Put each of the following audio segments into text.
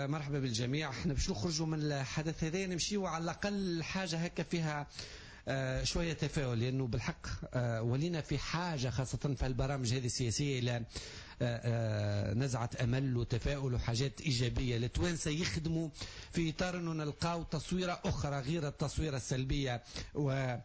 مرحبا بالجميع. احنا باش نخرجوا من الحدث هذا نمشيو على الاقل حاجة هكا فيها شوية تفاؤل، لانه بالحق ولينا في حاجة خاصة في البرامج هذه السياسية الى نزعه امل وتفاؤل وحاجات ايجابية. التوانسة يخدموا في اطار انه نلقاو تصويره اخرى غير التصويره السلبية و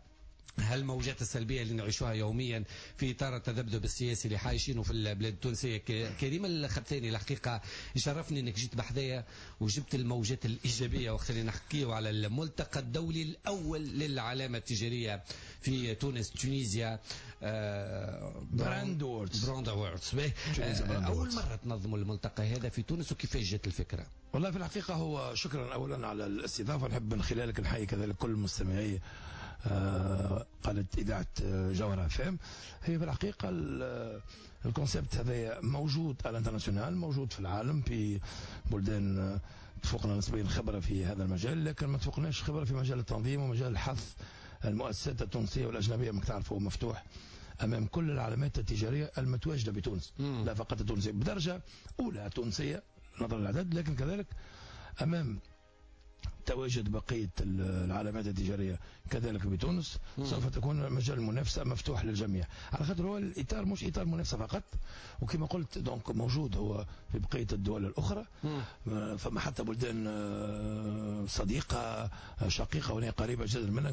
هالموجات السلبية اللي نعيشوها يوميا في اطار التذبذب السياسي اللي عايشينه في البلاد التونسيه. كريم الخبثاني، الحقيقة يشرفني انك جيت بحذايا وجبت الموجات الايجابية وقت اللي نحكيو على الملتقى الدولي الاول للعلامة التجارية في تونس، Tunisia Brand Awards. Brand Awards. اول مرة تنظموا الملتقى هذا في تونس، وكيفاش جات الفكرة؟ والله في الحقيقة هو شكرا اولا على الاستضافه، نحب من خلالك نحيي كذلك كل المستمعي قناة اذاعة جوهره FM. هي في الحقيقة ال concept هذا موجود à l'international، موجود في العالم في بلدان تفوقنا نسبيا خبره في هذا المجال، لكن ما تفوقناش خبره في مجال التنظيم ومجال الحث المؤسسات التونسية والاجنبيه. ما تعرفوا مفتوح امام كل العلامات التجارية المتواجدة بتونس، لا فقط التونسية، بدرجة اولى تونسية نظرا للعدد، لكن كذلك امام تواجد بقية العلامات التجارية كذلك بتونس. سوف تكون مجال المنافسة مفتوح للجميع، على خاطر هو الاطار مش اطار منافسه فقط، وكما قلت donc موجود هو في بقية الدول الاخرى. فما حتى بلدان صديقه شقيقه وهي قريبه جدا منا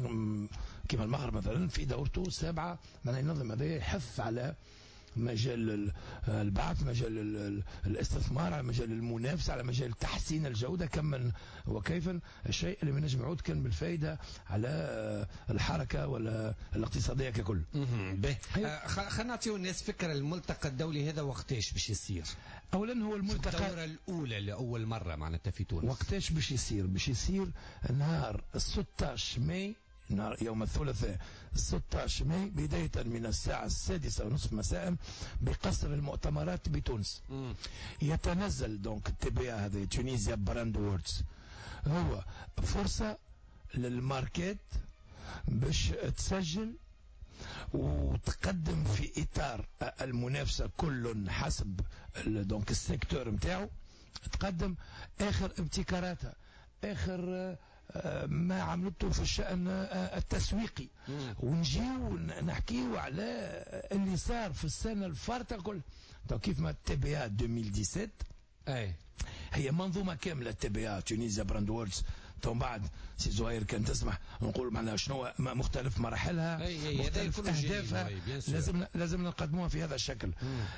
كما المغرب مثلا، في دورته السابعة معناها ينظم هذا، يحث على مجال البعث، مجال الاستثمار، على مجال المنافسة، على مجال تحسين الجودة كما وكيفا، الشيء اللي ما نجم يعود كان بالفائدة على الحركة ولا الاقتصادية ككل. خلينا نعطيو الناس فكرة، الملتقى الدولي هذا وقتاش باش يصير؟ أولا هو الملتقى الدورة الأولى لأول مرة معناتها في تونس. وقتاش باش يصير؟ باش يصير نهار 16 ماي، نهار يوم الثلاثاء 16 ماي، بداية من الساعة 6:30 مساء بقصر المؤتمرات بتونس. يتنزل donc TBA هذا Tunisia Brand Awards هو فرصة للماركات باش تسجل وتقدم في إطار المنافسة، كل حسب donc ال secteur نتاعو، تقدم آخر ابتكاراتها، آخر ما عملته في الشأن التسويقي، ونجيو نحكيو على اللي صار في السنة الفارطة الكل. كيف ما TBA 2017 هي منظومة كاملة، TBA Tunisia Brand Awards. تو بعد سي زهير كان تسمح نقول معناها شنو مختلف مراحلها، مختلف اهدافها، لازم نقدموها في هذا الشكل.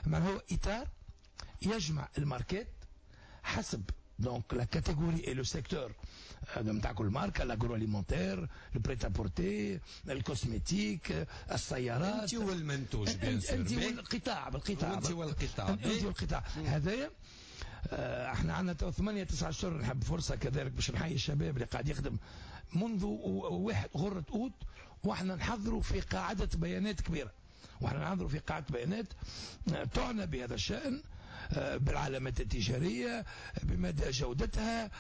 ما هو اطار يجمع الماركات حسب donc la catégorie et le secteur هذا نتاع كل ماركه، l'agroalimentaire، ال prêt-à-porter، ال cosmétique، السيارات. انت والمنتوج. bien sûr، انت والقطاع، بالقطاع. انت والقطاع. انت والقطاع هذايا. احنا عندنا تو 8 9 اشهر. نحب فرصة كذلك باش نحيي الشباب اللي قاعد يخدم منذ واحد غره اوت، واحنا نحضروا في قاعدة بيانات كبيره، واحنا نحضروا في قاعدة بيانات تعنى بهذا الشان، بالعلامات التجارية، بمدى جودتها،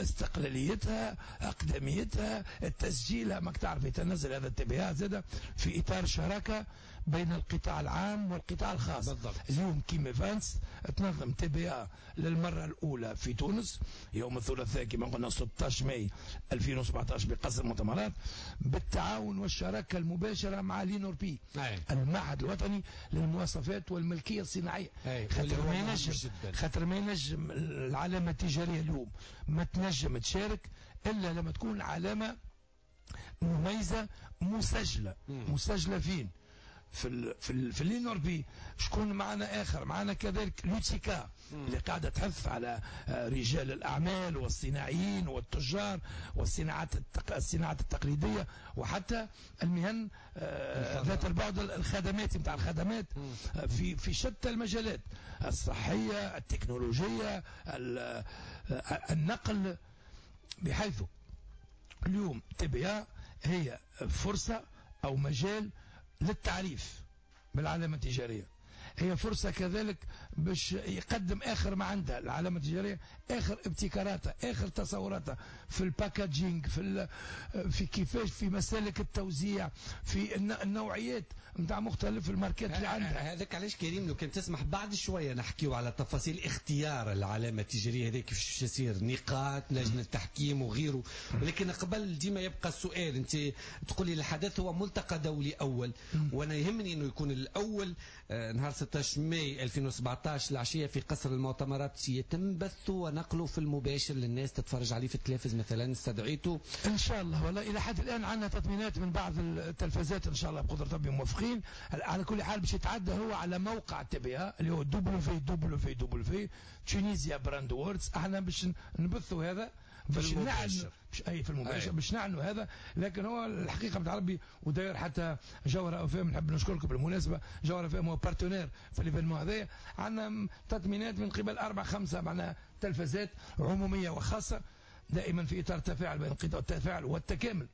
استقلاليتها، أقدميتها، التسجيل. ما تعرف يتنزل هذا ال TBA زاد في إطار شراكة بين القطاع العام والقطاع الخاص. اليوم Kim Events تنظم TBA للمرة الأولى في تونس يوم الثلاثاء كما قلنا 16 ماي 2017 بقصر المؤتمرات، بالتعاون والشراكة المباشرة مع l'INNORPI، المعهد الوطني للمواصفات والملكية الصناعية. خاطر ما ينجم العلامة التجارية اليوم ما تنجم تشارك إلا لما تكون علامة مميزة مسجلة. مسجلة فين؟ في l'INNORPI. شكون معنا اخر؟ معنا كذلك l'UTICA اللي قاعدة تحث على رجال الاعمال والصناعيين والتجار والصناعات الصناعات التقليدية وحتى المهن ذات البعد الخدماتي نتاع الخدمات في شتى المجالات، الصحيه، التكنولوجيه، النقل، بحيث اليوم TBA هي فرصة او مجال للتعريف بالعلامة التجارية. هي فرصة كذلك باش يقدم اخر ما عنده العلامة التجارية، اخر ابتكاراتها، اخر تصوراتها في ال packaging، في كيفاش، في مسالك التوزيع، في النوعيات نتاع مختلف الماركات اللي عندها. هذاك علاش كريم لو كان تسمح بعد شوية نحكيو على تفاصيل اختيار العلامة التجارية هذه، كيفاش يصير نقاط لجنة التحكيم وغيره، ولكن قبل ديما يبقى السؤال، انت تقول لي الحدث هو ملتقى دولي اول، وانا يهمني انه يكون الاول نهار 16 ماي 2017 العشية في قصر المؤتمرات، يتم بثه ونقله في المباشر للناس تتفرج عليه في التلفز مثلا، استدعيته ان شاء الله. والله الى حد الان عندنا تطمينات من بعض التلفزات، ان شاء الله بقدره ربي موافقين. على كل حال باش يتعدى هو على موقع TBA اللي هو WWW Tunisia Brand Awards، احنا باش نبثوا هذا، باش نعلن اي في المباشر باش نعلنوا هذا. لكن هو الحقيقة بتاع ربي وداير حتى جوهره اف ام، نحب نشكركم بالمناسبة، جوهره اف ام هو partenaire في l'événement هذايا. عندنا تطمينات من قبل 4-5 معناها تلفزات عموميه وخاصة، دائما في اطار التفاعل بين القطاع، التفاعل والتكامل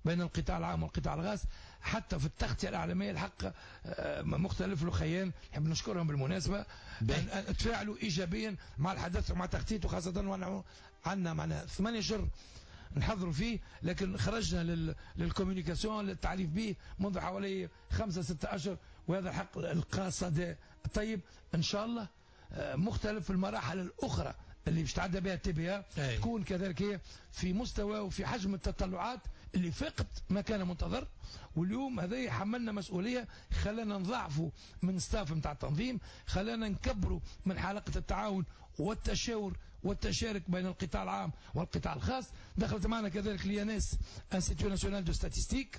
بين القطاع العام والقطاع الخاص، حتى في التغطية الإعلامية الحق مختلف الخيان نحب نشكرهم بالمناسبة، تفاعلوا إيجابيا مع الحدث ومع تغطيته، خاصة عندنا معنا 8 شهور نحضروا فيه، لكن خرجنا لل communication للتعريف به منذ حوالي 5-6 أشهر، وهذا الحق القاصد طيب. إن شاء الله مختلف المراحل الأخرى اللي باش تعدى بها TBA تكون كذلك هي في مستوى وفي حجم التطلعات اللي فاقت ما كان منتظر. واليوم هذا حملنا مسؤولية، خلانا نضعفوا من staff نتاع التنظيم، خلانا نكبروا من حلقة التعاون والتشاور والتشارك بين القطاع العام والقطاع الخاص. دخلت معنا كذلك l'INS، Institut national de statistique،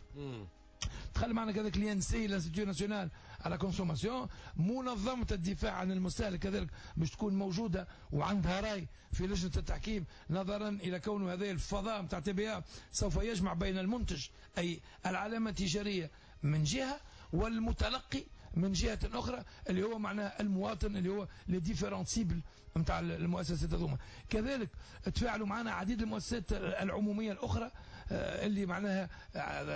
دخل معنا كذلك l'INC، l'Institut national à la consommation، منظمة الدفاع عن المستهلك كذلك باش تكون موجودة وعندها رأي في لجنة التحكيم، نظرا إلى كون هذا الفضاء نتاع TBA سوف يجمع بين المنتج أي العلامة التجارية من جهة، والمتلقي من جهة أخرى اللي هو معناه المواطن، اللي هو les différentes cibles نتاع المؤسسات هذوما. كذلك تفاعلوا معنا عديد المؤسسات العمومية الأخرى اللي معناها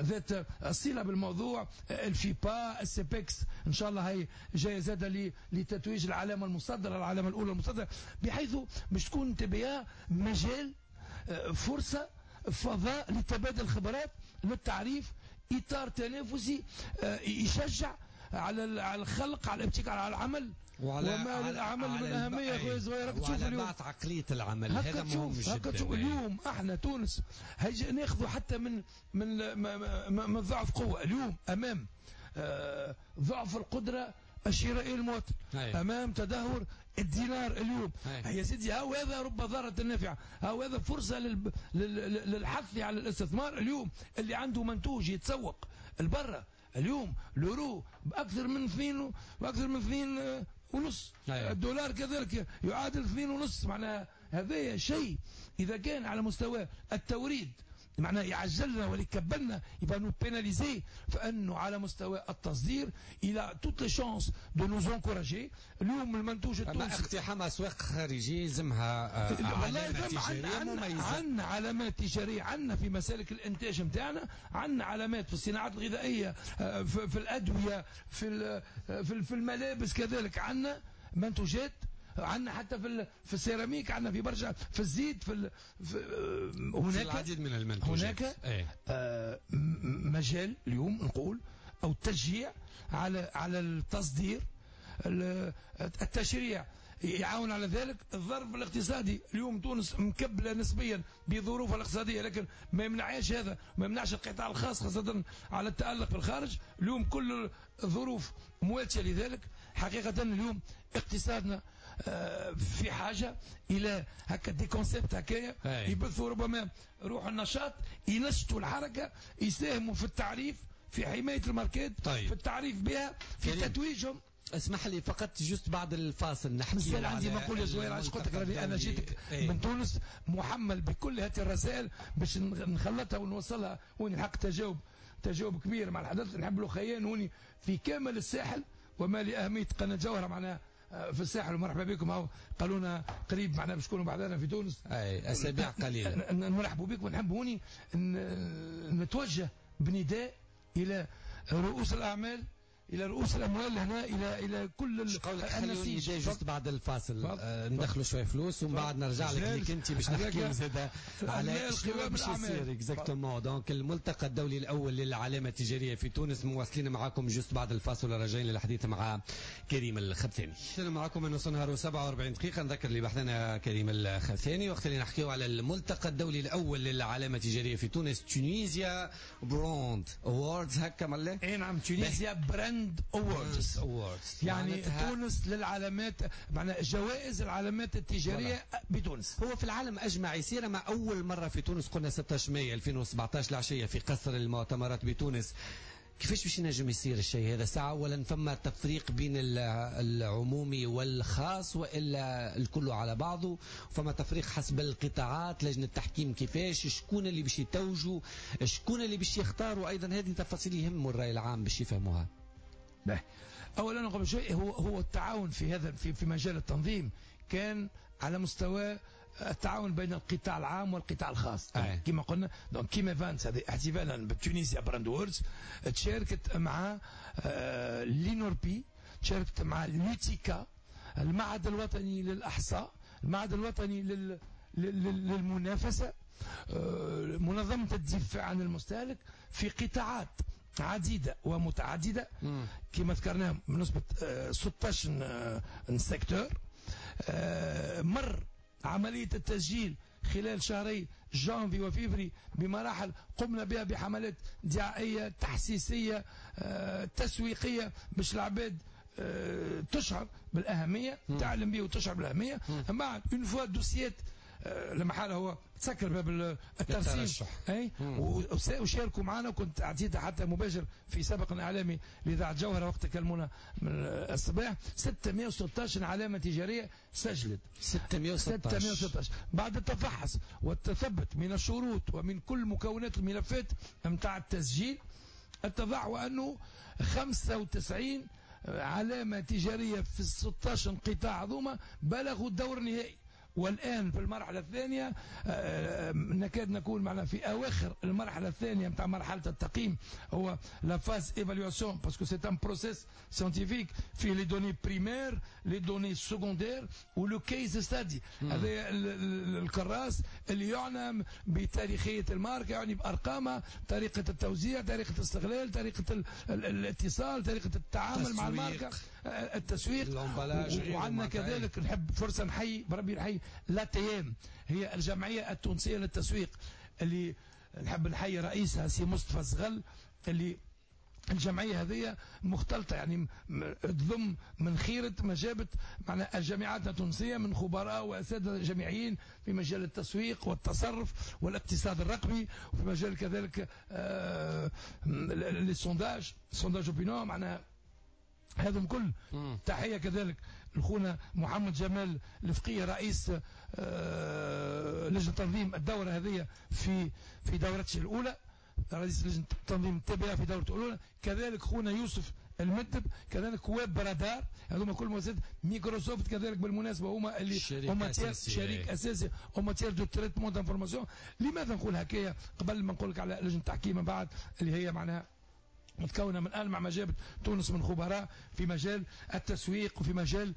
ذات الصلة بالموضوع، الفيبا، ال CEPEX إن شاء الله هي جاية زادة لتتويج العلامة المصدرة، العلامة الأولى المصدرة، بحيث باش تكون TBA مجال، فرصة، فضاء لتبادل الخبرات، للتعريف، إطار تنافسي يشجع على الخلق، على الابتكار، على العمل، وما للعمل من أهمية خويا زهير. راك تشوف اليوم عقلية العمل، هذا مهم جدا. اليوم احنا تونس ناخذوا حتى من من من ضعف قوة اليوم أمام ضعف القدرة الشرائية للمواطن، أمام تدهور الدينار اليوم. يا سيدي هاو هذا رب ضارة نافعة، هاو هذا فرصة للحث على الاستثمار. اليوم اللي عنده منتوج يتسوق البرة، اليوم l'euro باكثر من 2 واكثر من 2.5، الدولار كذلك يعادل 2.5، معناها هذا شيء اذا كان على مستوى التوريد معناها يعجلنا ويكبلنا يبقى nous pénaliser، فانه على مستوى التصدير il a toutes les chances de nous encourager. اليوم المنتوج التونسي اقتحام اسواق خارجية يلزمها علامات تجارية مميزة. عندنا علامات تجارية، عندنا في مسالك الانتاج نتاعنا، عندنا علامات في الصناعات الغذائية، في الادوية، في الملابس كذلك، عندنا منتوجات، عندنا حتى في السيراميك، عندنا في برشا، في الزيت، في هناك العديد من المنتوجات. هناك مجال اليوم نقول او تشجيع على التصدير، التشريع يعاون على ذلك. الظرف الاقتصادي اليوم تونس مكبله نسبيا بظروفها الاقتصادية، لكن ما يمنعش هذا، ما يمنعش القطاع الخاص خاصة على التالق في الخارج. اليوم كل الظروف مواتيه لذلك. حقيقة اليوم اقتصادنا في حاجة الى هكا des concepts هكايا يبثوا ربما روح النشاط، ينشطوا الحركة، يساهموا في التعريف، في حماية الماركات، في التعريف بها، في تتويجهم. اسمح لي فقط juste بعد الفاصل نحكي. مازال عندي ما نقول يا زهير، علاش قلت لك راني انا جيتك من تونس محمل بكل هذه الرسائل باش نخلطها ونوصلها ونلحق تجاوب كبير مع الحدث. نحب له خيان هوني في كامل الساحل، وما لاهمية قناة جوهره معناها في الساحل، ومرحبا بكم. هاو قالوا لنا قريب معناها باش تكونوا بعدنا في تونس، اي اسابيع قليله. نرحبوا بكم، ونحب هوني نتوجه بنداء الى رؤوس الاعمال، الى رؤوس الاموال هنا، الى كل النسيج. juste بعد الفاصل ندخلوا شوية فلوس ومن بعد نرجع لك انت باش نحكيو زاد على شنو باش يصير exactement. donc الملتقى الدولي الاول للعلامة التجارية في تونس، مواصلين معاكم juste بعد الفاصل راجعين للحديث مع كريم الخبثاني. معكم من نص نهار و47 دقيقة. نذكر اللي بحثنا كريم الخبثاني وقت اللي نحكيو على الملتقى الدولي الاول للعلامة التجارية في تونس، Tunisia Brand Awards، هكا ملا؟ اي نعم، Tunisia Brand Awards، يعني تونس للعلامات، معناها جوائز العلامات التجارية بتونس. هو في العالم اجمع يصير، ما اول مرة في تونس قلنا 16 ماي 2017 العشية في قصر المؤتمرات بتونس. كيفاش باش ينجم يصير الشيء هذا؟ ساعة أولا فما تفريق بين العمومي والخاص وإلا الكل على بعضه؟ فما تفريق حسب القطاعات؟ لجنة التحكيم كيفاش؟ شكون اللي باش يتوجوا؟ شكون اللي باش يختاروا؟ أيضا هذه تفاصيل يهموا الرأي العام باش يفهموها. أولا قبل شيء هو التعاون في هذا في مجال التنظيم كان على مستوى التعاون بين القطاع العام والقطاع الخاص. كما قلنا donc Kim Events هذه احتفالا ب Tunisia Brand Awards تشاركت مع l'INNORPI، تشاركت مع l'UTICA، المعهد الوطني للأحصاء، المعهد الوطني للمنافسة، منظمة الدفاع عن المستهلك، في قطاعات عديدة ومتعددة كما ذكرناهم بنسبة 16 secteur. مر عملية التسجيل خلال شهري جانفي وفيفري بمراحل قمنا بها بحملات دعائية تحسيسية تسويقية باش العباد تشعر بالأهمية، تعلم به وتشعر بالأهمية. من بعد une fois dossiers لما حاله هو تسكر باب الترشح، اي وشاركوا معنا، وكنت اعطيتها حتى مباشر في سبق اعلامي لاذاعة جوهره وقت كلمونا من الصباح. 616 علامة تجارية سجلت، 616 بعد التفحص والتثبت من الشروط ومن كل مكونات الملفات نتاع التسجيل، اتضح وانه 95 علامة تجارية في 16 قطاع هذوما بلغوا الدور النهائي. والآن في المرحلة الثانية نكاد نكون معنا في أواخر المرحلة الثانية نتاع مرحلة التقييم، هو la phase évaluation، parce que c'est un processus scientifique فيه les données primaires، les données secondaires و le case study. هذا الكراس اللي يعنى بتاريخية الماركة، يعني بأرقامها، طريقة التوزيع، طريقة الاستغلال، طريقة الاتصال، طريقة التعامل مع الماركة، التسويق. وعندنا كذلك نحب فرصة نحيي بربي نحيي l'ATM، هي الجمعية التونسية للتسويق، اللي نحب نحيي رئيسها سي مصطفى زغل، اللي الجمعية هذه مختلطة، يعني تضم من خيرة ما جابت معنا الجامعات التونسية من خبراء وأساتذة جامعيين في مجال التسويق والتصرف والاقتصاد الرقمي، وفي مجال كذلك les sondages، sondage opinion، معناها هذا كل. تحية كذلك لخونا محمد جمال الفقيه رئيس لجنة تنظيم الدورة هذه في دورته الأولى، رئيس لجنة تنظيم التبعة في دورته الأولى، كذلك خونا يوسف المدب، كذلك Web Radar، هذوما كل مؤسسات مايكروسوفت كذلك بالمناسبة هما اللي هما شريك أساسي en matière de traitement d'information. لماذا نقول هكايا قبل ما نقول لك على لجنة التحكيم من بعد اللي هي معناها متكونة من ألمع ما جابت تونس من خبراء في مجال التسويق وفي مجال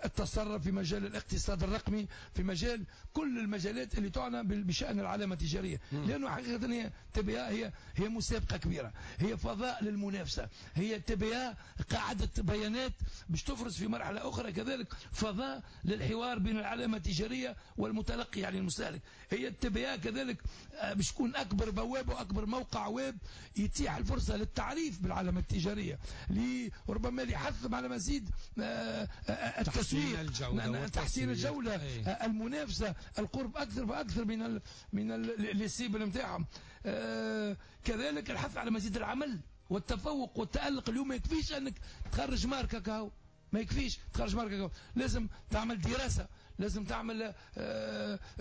التصرف، في مجال الاقتصاد الرقمي، في مجال كل المجالات اللي تعنى بشأن العلامة التجارية. لأنه حقيقة هي TBA هي مسابقة كبيرة، هي فضاء للمنافسة، هي TBA قاعدة بيانات باش تفرز في مرحلة أخرى كذلك فضاء للحوار بين العلامة التجارية والمتلقي يعني المستهلك. هي TBA كذلك باش تكون أكبر بوابة وأكبر موقع ويب يتيح الفرصة للتعريف بالعلامة التجارية، ربما لحث على مزيد التسويق، تحسين الجودة، المنافسة، القرب أكثر فأكثر من les cibles نتاعهم. كذلك الحث على مزيد العمل والتفوق والتألق. اليوم ما يكفيش أنك تخرج ماركة كهو، ما يكفيش تخرج ماركة كهو، لازم تعمل دراسة، لازم تعمل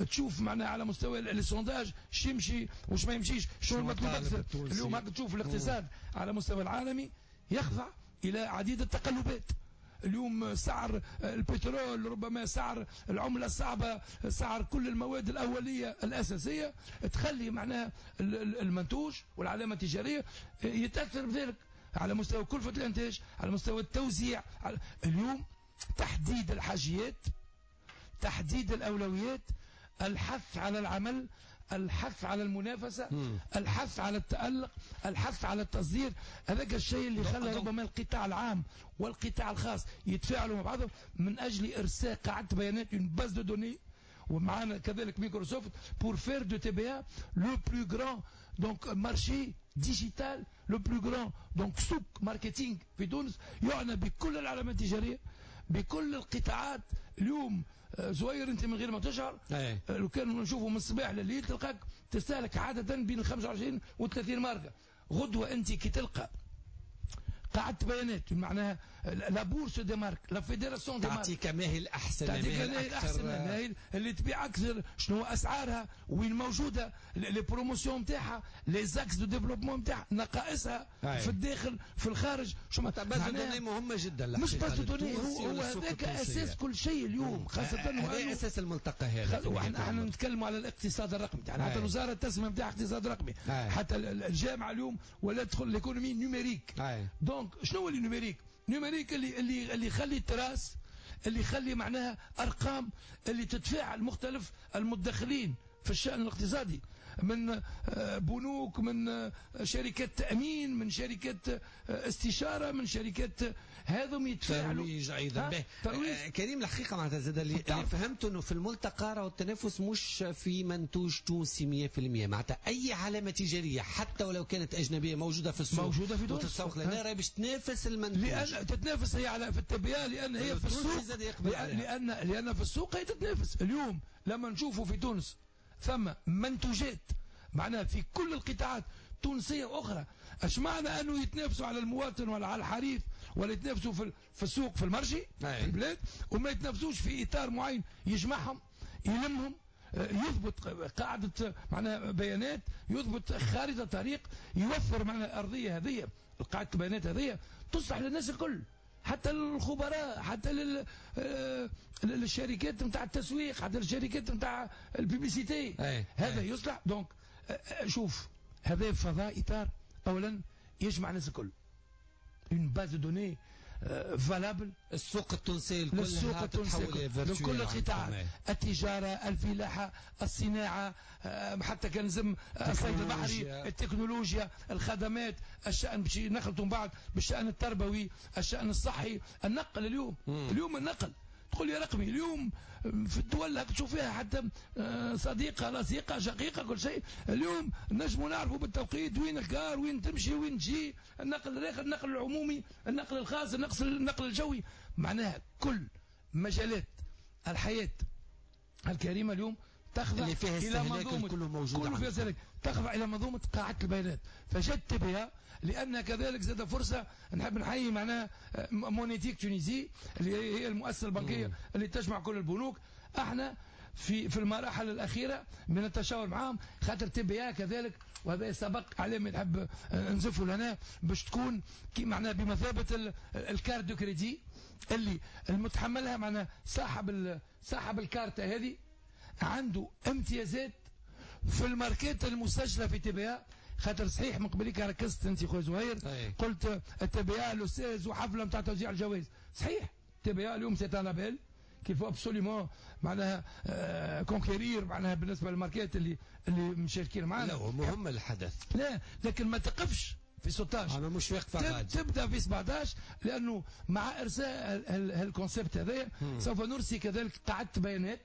تشوف معناها على مستوى les sondages شو يمشي وش ما يمشيش، شنو المطلوب اكثر. اليوم هاك تشوف الاقتصاد على مستوى العالمي يخضع الى عديد التقلبات. اليوم سعر البترول، ربما سعر العملة الصعبه، سعر كل المواد الاولية الاساسيه، تخلي معناها المنتوج والعلامة التجارية يتاثر بذلك على مستوى كلفه الانتاج، على مستوى التوزيع. اليوم تحديد الحاجيات، تحديد الاولويات، الحث على العمل، الحث على المنافسة، الحث على التألق، الحث على التصدير. هذاك الشيء اللي خلى ربما القطاع العام والقطاع الخاص يتفاعلوا مع بعضهم من أجل إرساء قاعدة بيانات، une base de données، ومعنا كذلك مايكروسوفت، pour faire de TBA le plus grand donc marché digital، le plus grand donc سوق marketing في تونس، يعنى بكل العلامات التجارية، بكل القطاعات. اليوم زهير، انت من غير ما تشعر، لو كان نشوفوا من الصباح لليل تلقاك تستهلك عادة بين 25 و 30 ماركه. غدوه انت كي تلقى قاعدة بيانات، معناها la bourse des marques، la fédération des marques، تعطيك ما هي الاحسن. تعطيك ما هي الاحسن، ما هي اللي تبيع اكثر، شنو اسعارها، وين موجوده، les promotions نتاعها، les axes de développement نتاعها، نقائصها في الداخل، في الخارج. شو base de données مهمة جدا. مش base de données، هو هذاك اساس كل شيء اليوم، خاصة هذا اساس الملتقى هذا. واحنا احنا نتكلموا على الاقتصاد الرقمي، يعني حتى الوزارة التسمية نتاع اقتصاد رقمي، حتى الجامعة اليوم ولا تدخل l'économie numérique. donc شنو هو ال numérique؟ numérique اللي يخلي trace، اللي يخلي معناها ارقام اللي تتفاعل مختلف المتدخلين في الشأن الاقتصادي، من بنوك، من شركات تأمين، من شركات استشارة، من شركات، هذم يتفاعلوا. ترويج ايضا. ترويج. كريم، الحقيقة معناتها زاد اللي فهمت انه في الملتقى راهو التنافس مش في منتوج تونسي 100%، معناتها اي علامة تجارية حتى ولو كانت اجنبية موجودة في السوق موجودة في تونس وتتسوق لنا، راهي باش تنافس المنتوج. لان تتنافس هي على في ال TVA، لان هي في السوق، لان في السوق هي تتنافس. اليوم لما نشوفوا في تونس ثم منتوجات معناها في كل القطاعات تونسية وأخرى، اش معنى أنه يتنافسوا على المواطن ولا على الحريف ولا يتنافسوا في السوق، في ال marché في البلاد، وما يتنافسوش في إطار معين يجمعهم، يلمهم، يضبط قاعدة معناها بيانات، يضبط خارطة طريق، يوفر معناها الأرضية هذه، قاعدة البيانات هذه تصلح للناس الكل، حتى للخبراء، حتى للشركات نتاع التسويق، حتى للشركات نتاع ال publicité. هذا يصلح. donc شوف، هذا فضاء اطار اولا يجمع الناس الكل، une base de données valable. السوق التونسي الكل. للسوق التونسي لكل القطاعات، التجارة، الفلاحة، الصناعة، حتى كان لزم الصيد البحري، التكنولوجيا، الخدمات، الشأن باش نخلطوا من بعد بالشأن التربوي، الشأن الصحي، النقل. اليوم اليوم النقل تقول لي رقمي، اليوم في الدول هاك تشوف فيها حتى صديقة، لصيقة، شقيقة، كل شيء. اليوم نجموا نعرفوا بالتوقيت وين ال car، وين تمشي، وين تجي، النقل الآخر، النقل العمومي، النقل الخاص، النقل الجوي، معناها كل مجالات الحياة الكريمة اليوم تخضع اللي فيها إلى استهلاك منظومة كله موجود كله فيها عندكم. استهلاك، تخضع إلى منظومة قاعدة البيانات. فجدت بها لأن كذلك زاد فرصة نحب نحيي معناها Monétique Tunisie اللي هي المؤسسة البنكية اللي تجمع كل البنوك. احنا في المراحل الأخيرة من التشاور معاهم، خاطر TVA كذلك، وهذا سبق عليه نحب نزفوا لنا باش تكون كي معناها بمثابة ال carte de crédit اللي المتحملها، معناها صاحب الكارتة هذه عنده امتيازات في الماركات المسجلة في TVA. خاطر صحيح من قبليك ركزت انت خويا زهير، قلت ال TVA le 16 وحفله نتاع توزيع الجوائز. صحيح TVA اليوم c'est un label qu'il faut absolument معناها conquérir، معناها بالنسبة للماركات اللي مشاركين معنا. لا، هو مهم الحدث. لا، لكن ما تقفش في 16. انا مش واقفة غادي. تبدا في 17، لانه مع ارساء هال concept هذايا سوف نرسي كذلك قاعدة بيانات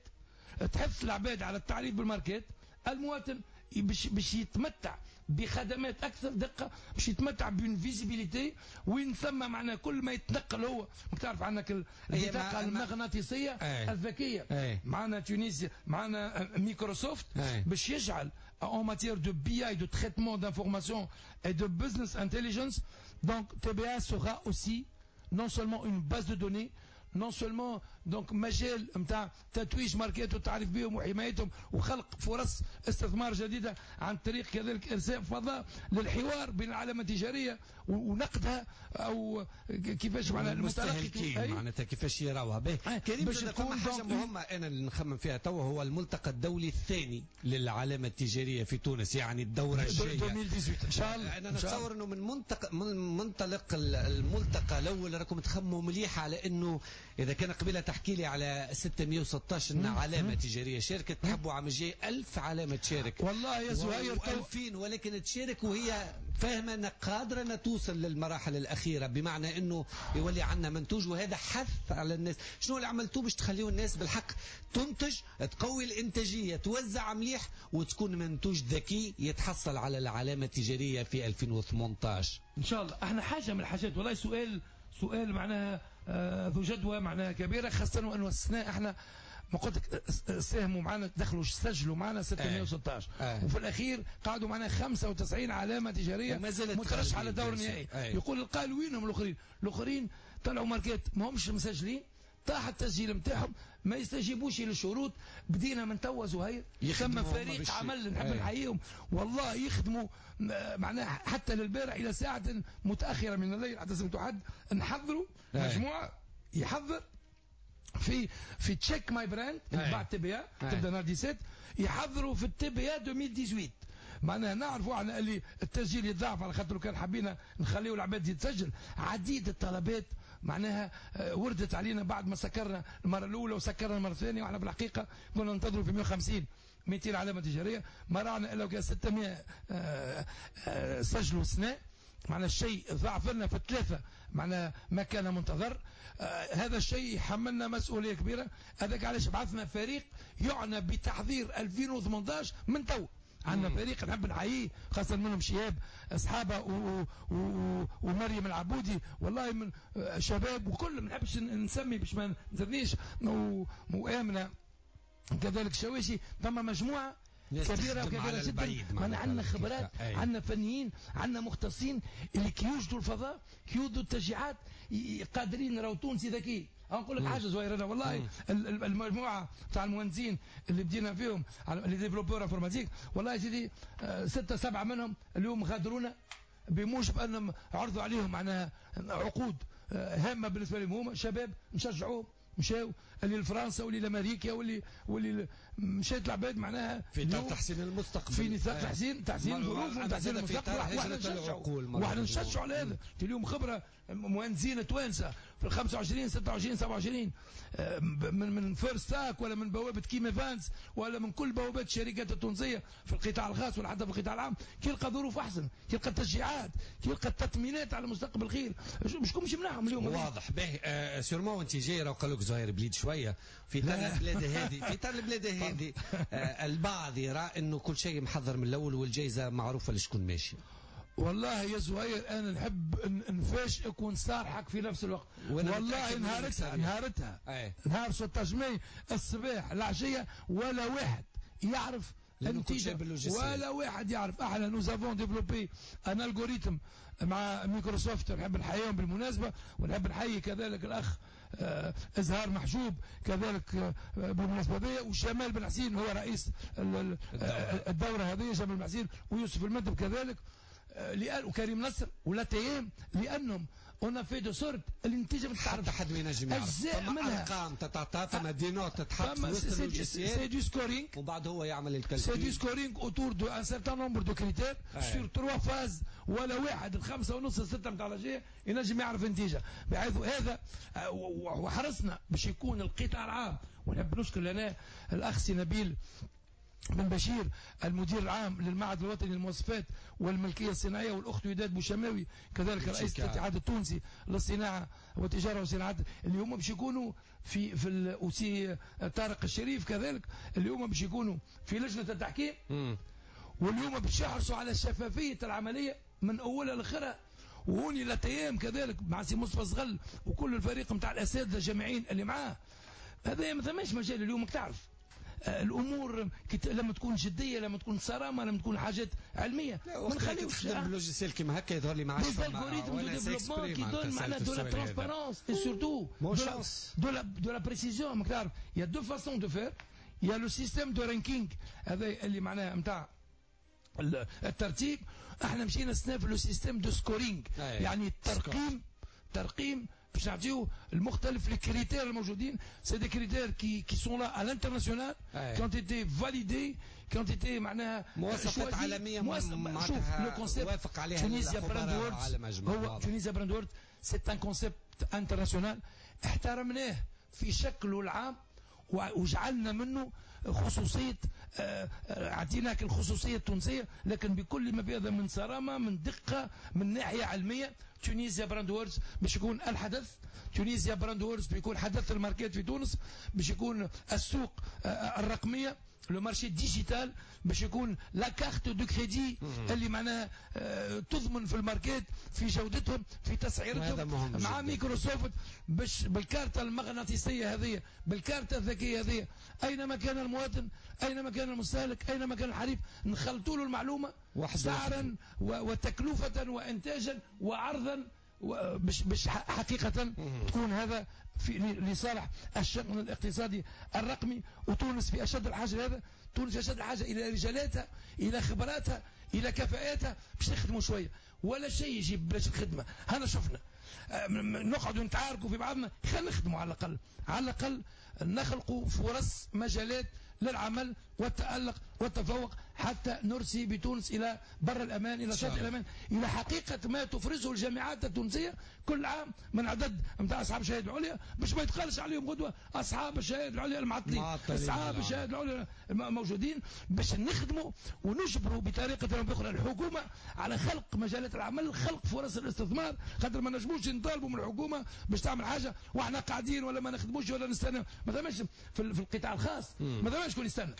تحث العباد على التعريف بالماركات، المواطن باش يتمتع بخدمات اكثر دقه، باش يتمتع ب une visibilité وين ثم معناها كل ما يتنقل هو. ماك تعرف عندك البطاقة المغناطيسيه الذكية. معنا تونسيا، معنا مايكروسوفت باش يجعل en matière de BI، de traitement d'informations et de business intelligence. Donc TVA sera aussi non seulement une base de données, non seulement donc مجال نتاع تتويج ماركات والتعريف بهم وحمايتهم وخلق فرص استثمار جديدة عن طريق كذلك ارساء فضاء للحوار بين العلامة التجارية ونقدها او كيفاش معناها المستهلكين معناتها كيفاش يراوها. به كريم، باش تكون حاجة مهمة انا اللي نخمم فيها توا، هو الملتقى الدولي الثاني للعلامة التجارية في تونس، يعني الدورة الجاية 2018 ان شاء الله. انا نتصور انه من منطلق الملتقى الاول راكم تخموا مليح على انه اذا كان قبيلة تحكي لي على 616 علامة تجارية شاركت، تحبوا عام الجاي 1000 علامة تشارك. والله يا زهير 2000، ولكن تشارك وهي فاهمه انها قادرة انها توصل للمراحل الاخيرة، بمعنى انه يولي عندنا منتوج، وهذا حث على الناس. شنو اللي عملتوه باش تخليوا الناس بالحق تنتج، تقوي الانتاجية، توزع مليح، وتكون منتوج ذكي يتحصل على العلامة التجارية في 2018 ان شاء الله؟ احنا حاجة من الحاجات، والله سؤال معناها ذو جدوى معناها كبيره، خاصة وانه السنة احنا ما قلت لك ساهموا معنا، دخلوا سجلوا معنا 616 وفي الاخير قعدوا معنا 95 علامة تجارية مترشحه على الدور النهائي. يقول القائل وينهم الاخرين؟ الاخرين طلعوا ماركات ما همش مسجلين، طاح التسجيل نتاعهم، ما يستجيبوش للشروط. بدينا من توا زهير، ثم فريق عمل نحب نحييهم والله، يخدموا معناها حتى للبارح الى ساعة متاخرة من الليل، حتى سمعتوا حد نحضروا مجموعة يحضر في Check My Brand بعد TBA تبدا نهار 17، يحضروا في ال TBA 2018. معناها نعرفوا احنا اللي التسجيل يتضاعف، على خاطر كان حبينا نخليو العباد يتسجل. عديد الطلبات معناها وردت علينا بعد ما سكرنا المرة الاولى وسكرنا المرة الثانية، واحنا في الحقيقة كنا ننتظروا في 150 200 علامة تجارية، ما راعنا الا كان 600 سجلوا سنه. معنى الشيء ضعف لنا في الثلاثة، معنى ما كان منتظر. هذا الشيء يحملنا مسؤولية كبيرة. هذاك علاش بعثنا فريق يعنى بتحضير 2018 من تو. عندنا فريق نحب نحييه، خاصة منهم شهاب أصحابه ومريم العبودي، والله من شباب وكل، ما نحبش نسمي باش ما نزرنيش، وآمنة كذلك شواشي. ثم مجموعة كبيرة وكبيرة جدا، معنا عندنا خبرات، عندنا فنيين، عندنا مختصين اللي كيوجدوا الفضاء، كيوجدوا التشجيعات، قادرين. راهو تونسي ذكي. نقول لك حاجة زهير، انا والله المجموعة تاع المهندسين اللي بدينا فيهم les développeurs informatiques، والله يا سيدي 6 7 منهم اليوم غادرونا بموجب انهم عرضوا عليهم معناها عقود هامة بالنسبة لهم، هما شباب نشجعوهم، مشاو اللي لفرنسا واللي لامريكا واللي مشات العباد معناها في اطار تحسين المستقبل، في نطاق تحسين الظروف وتحسين المستقبل. واحنا نشجعوا على هذا. اليوم خبره مهندسين توانسة في ال 25 26 27 من First ولا من بوابه كيم ايفانس ولا من كل بوابات الشركات التونسية في القطاع الخاص ولا حتى في القطاع العام، كي يلقى ظروف احسن، كي يلقى تشجيعات، كي يلقى التطمينات على مستقبل خير، شكون مش يمنعهم اليوم؟ واضح. باهي sûrement انت جاي راه قالوا لك زهير بليد شوية في طار البلاد هذه، في طار البلاد هذه البعض يرى انه كل شيء محضر من الاول والجائزه معروفة لشكون ماشي. والله يا زهير انا نحب نفاجئك ونصارحك في نفس الوقت. والله نهارتها نهار 16 ماي الصباح العشية ولا واحد يعرف النتيجة، ولا واحد يعرف. احنا nous avons développé un algorithme مع مايكروسوفت، نحب نحييهم بالمناسبة، ونحب نحيي كذلك الاخ ازهار محجوب كذلك بالمناسبة دي، وشمال بن حسين هو رئيس الدورة هذه، جمال بن حسين ويوسف المدب كذلك، وكريم نصر ولا تيام، لانهم on a fait de sorte النتيجة ما تعرف حتى حد ما ينجم يعرف. فما ارقام تتعطى، فما des notes تتحط في وسط ال logiciel، c'est du scoring، وبعد هو يعمل ال calcul، c'est du scoring autour de un certain nombre de critères sur 3 phases. ولا واحد 5:30 6 نتاع العشية ينجم يعرف النتيجة. بحيث هذا وحرصنا باش يكون القطاع العام. ونحب نشكر لنا الاخ سي نبيل بن بشير المدير العام للمعهد الوطني للمواصفات والملكية الصناعية، والأخت وداد بوشماوي كذلك رئيس الاتحاد التونسي للصناعة والتجارة والصناعات، اللي هما باش يكونوا في وسي طارق الشريف كذلك، اللي هما باش يكونوا في لجنة التحكيم، واليوم باش يحرصوا على شفافية العملية من أولها لآخرها. وهوني لتيام كذلك مع سي مصطفى صغل وكل الفريق نتاع الأساتذة الجامعيين اللي معاه. هذا ما ثماش مجال اليوم تعرف. الامور لما تكون جديه، لما تكون صرامه، لما تكون حاجات علميه، ما نخليوش تخدم logiciel كيما هكا يظهر لي ما عادش algorithmes de développement qui donnent معناها de la transparence et surtout de la précision. تعرف il y a deux façons de faire، il y a le système de ranking هذا اللي معناها نتاع الترتيب. احنا مشينا السنة في le système de scoring، يعني الترقيم، ترقيم باش نعطيو المختلف les critères الموجودين. c'est des critères qui sont là à l'international، qui ont été validés، qui ont été معناها مواصفات عالميه. شوف le concept وافق عليها Tunisia Brand Awards، هو Tunisia Brand Awards c'est un concept international، احترمناه في شكله العام وجعلنا منه خصوصية، اعطيناك الخصوصية التونسية، لكن بكل ما فيها من صرامة، من دقة، من ناحية علمية. Tunisia Brand Awards باش يكون الحدث، Tunisia Brand Awards بيكون حدث الماركات في تونس، باش يكون السوق الرقمية، le marché digital، باش يكون la carte de crédit اللي معناها تضمن في الماركات، في جودتهم، في تسعيرتهم، مع مايكروسوفت، باش بالكارتة المغناطيسية هذه، بالكارتة الذكية هذه، أينما كان المواطن، أينما كان المستهلك، أينما كان الحريف، نخلطوا له المعلومة سعرا وتكلفة وإنتاجا وعرضا، باش حقيقة تكون هذا في لصالح الشأن الاقتصادي الرقمي. وتونس في أشد الحاجة لهذا، تونس في أشد الحاجة إلى رجالاتها، إلى خبراتها، إلى كفاءاتها باش نخدموا شوية. ولا شيء يجيب بلاش الخدمة. هنا شفنا نقعدوا نتعاركوا في بعضنا، خلينا نخدموا على الأقل، على الأقل نخلقوا فرص، مجالات للعمل والتألق والتفوق، حتى نرسي بتونس إلى بر الأمان، إلى شاطئ الأمان، إلى حقيقة ما تفرزه الجامعات التونسية كل عام من عدد نتاع أصحاب الشهادة العليا، باش ما يتقالش عليهم غدوة أصحاب الشهادة العليا المعطلين، أصحاب الشهادة العليا موجودين، باش نخدموا ونجبروا بطريقة أو بأخرى الحكومة على خلق مجالات العمل، خلق فرص الاستثمار، خاطر ما نجموش نطالبوا من الحكومة باش تعمل حاجة واحنا قاعدين ولا ما نخدموش ولا نستنى. ما ثماش في القطاع الخاص، ما ثماش شكون يستنى.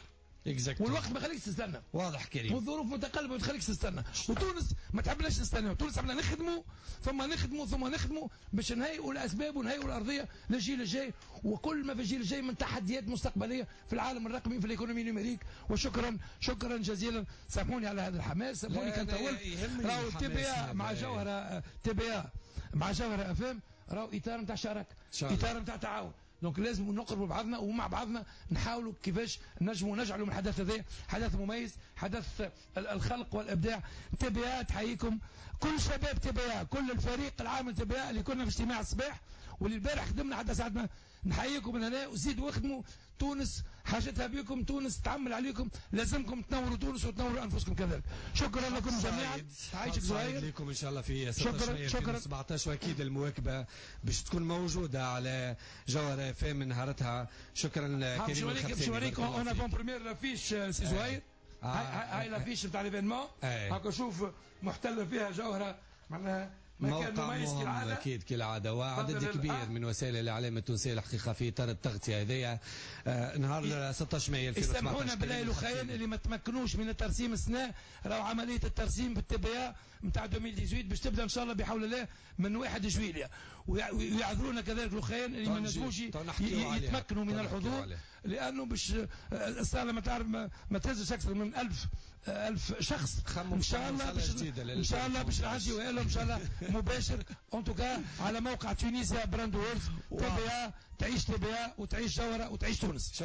والوقت ما خليكش تستنى. واضح كريم. والظروف متقلبة ما تخليكش تستنى، وتونس ما تحبناش نستنى، تونس عملنا نخدموا ثم نخدموا ثم نخدموا باش نهيئوا الاسباب ونهيئوا الارضية للجيل الجاي، وكل ما في الجيل الجاي من تحديات مستقبلية في العالم الرقمي، في l'économie numérique. وشكرا، شكرا جزيلا. سامحوني على هذا الحماس، سامحوني كان طولت. راهو TBA مع جوهره، TBA مع جوهره اف ام، راهو اطار نتاع شراكه، اطار نتاع تعاون. donc لازم نقربوا بعضنا ومع بعضنا نحاولوا كيفاش نجموا نجعلوا من الحدث هذا حدث مميز، حدث الخلق والابداع. TBA تحييكم، كل شباب TBA، كل الفريق العامل TBA اللي كنا في اجتماع الصباح واللي البارح خدمنا حتى ساعة ما، نحييكم من هنا وزيدوا واخدموا. تونس حاجتها بكم، تونس تعمل عليكم، لازمكم تنوروا تونس وتنوروا انفسكم كذلك. شكرا لكم جميعا. عايشك زهير. لكم ان شاء الله في 16 مايو 2017، واكيد المواكبه باش تكون موجودة على جوهر اف ام نهارتها. شكرا كريم. باش نوريك en avant-première l'affiche سي زهير، هاي l'affiche نتاع l'événement، هاكا شوف محتلة فيها جوهره، معناها موقع مهم اكيد كالعادة، وعدد كبير من وسائل الاعلام التونسية الحقيقة في اطار التغطية هذيا نهار 16 مايو 2017. سامحونا بالله الاخيان اللي ما تمكنوش من الترسيم السنه، راهو عملية الترسيم بال TBA نتاع 2018 باش تبدا ان شاء الله بحول الله من 1 جويليا، ويعذرونا كذلك الاخيان اللي ما نجموش يتمكنوا من الحضور، لانه باش الصاله ما تعرف ما تهزش اكثر من 1000 شخص. ان شاء الله باش ان شاء الله باش نعديوها لهم ان شاء الله مباشر en tout cas على موقع Tunisia Brand Awards. TBA تعيش، TBA وتعيش جوهره وتعيش تونس.